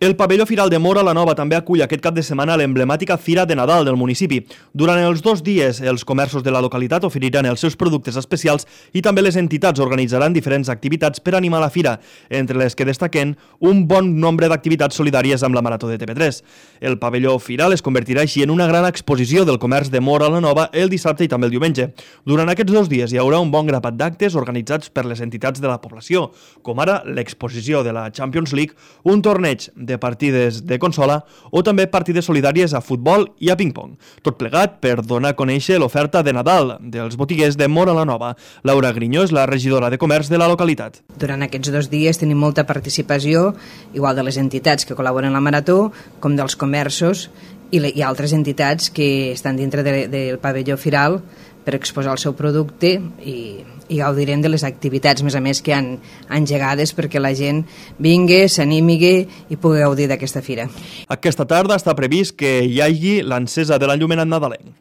El pavelló Firal de Móra la Nova també acull aquest cap de setmana l'emblemàtica Fira de Nadal del municipi. Durant els 2 dies, els comerços de la localitat oferiran els seus productes especials i també les entitats organitzaran diferents activitats per animar la fira, entre les que destaquen un bon nombre d'activitats solidàries amb la Marató de TV3. El pavelló Firal es convertirà així en una gran exposició del comerç de Móra la Nova el dissabte i també el diumenge. Durant aquests 2 dies hi haurà un bon grapat d'actes organitzats per les entitats de la població, com ara l'exposició de la Champions League, un torneig de partides de consola o també partides solidàries a futbol i a ping-pong. Tot plegat per donar a conèixer l'oferta de Nadal dels botiguers de Móra la Nova. Laura Grinyó és la regidora de comerç de la localitat. Durant aquests 2 dies tenim molta participació, igual de les entitats que col·laboren en la Marató, com dels comerços i altres entitats que estan dintre del pavelló Firal per exposar el seu producte i gaudirem de les activitats, més a més, que han engegades perquè la gent vingui, s'animi i pugui gaudir d'aquesta fira. Aquesta tarda està previst que hi hagi l'encesa de l'enllumenat nadalenc.